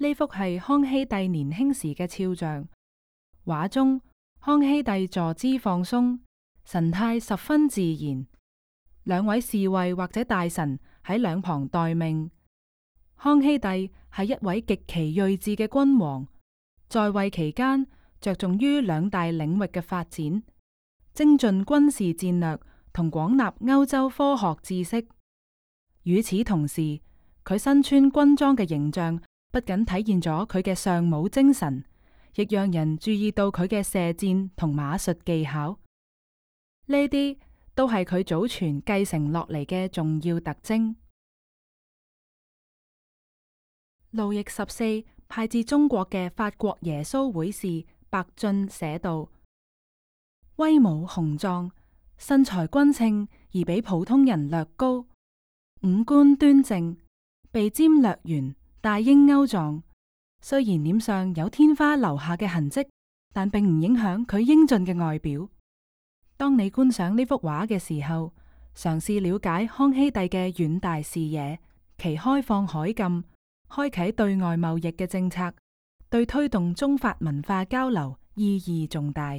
呢幅係康熙帝年輕時嘅肖像，畫中康熙帝坐姿放鬆，神態十分自然。兩位侍衛或者大臣喺兩旁待命。康熙帝係一位極其睿智嘅君王，在位期間着重於兩大領域嘅發展，精進軍事戰略同廣納歐洲科學知識。與此同時，佢身穿軍裝嘅形象不僅體現咗佢嘅尚武精神，亦讓人注意到佢嘅射箭同馬術技巧。呢啲都係佢祖傳繼承落嚟嘅重要特徵。路易14派至中國嘅法國耶穌會士白進寫道：威武雄壯，身材均稱而比普通人略高，五官端正，鼻尖略圓，大鷹鈎狀。雖然臉上有天花留下嘅痕跡，但並唔影響佢英俊嘅外表。當你觀賞呢幅畫嘅時候，嘗試了解康熙帝嘅遠大視野，其開放海禁、開啟對外貿易嘅政策，對推動中法文化交流意義重大。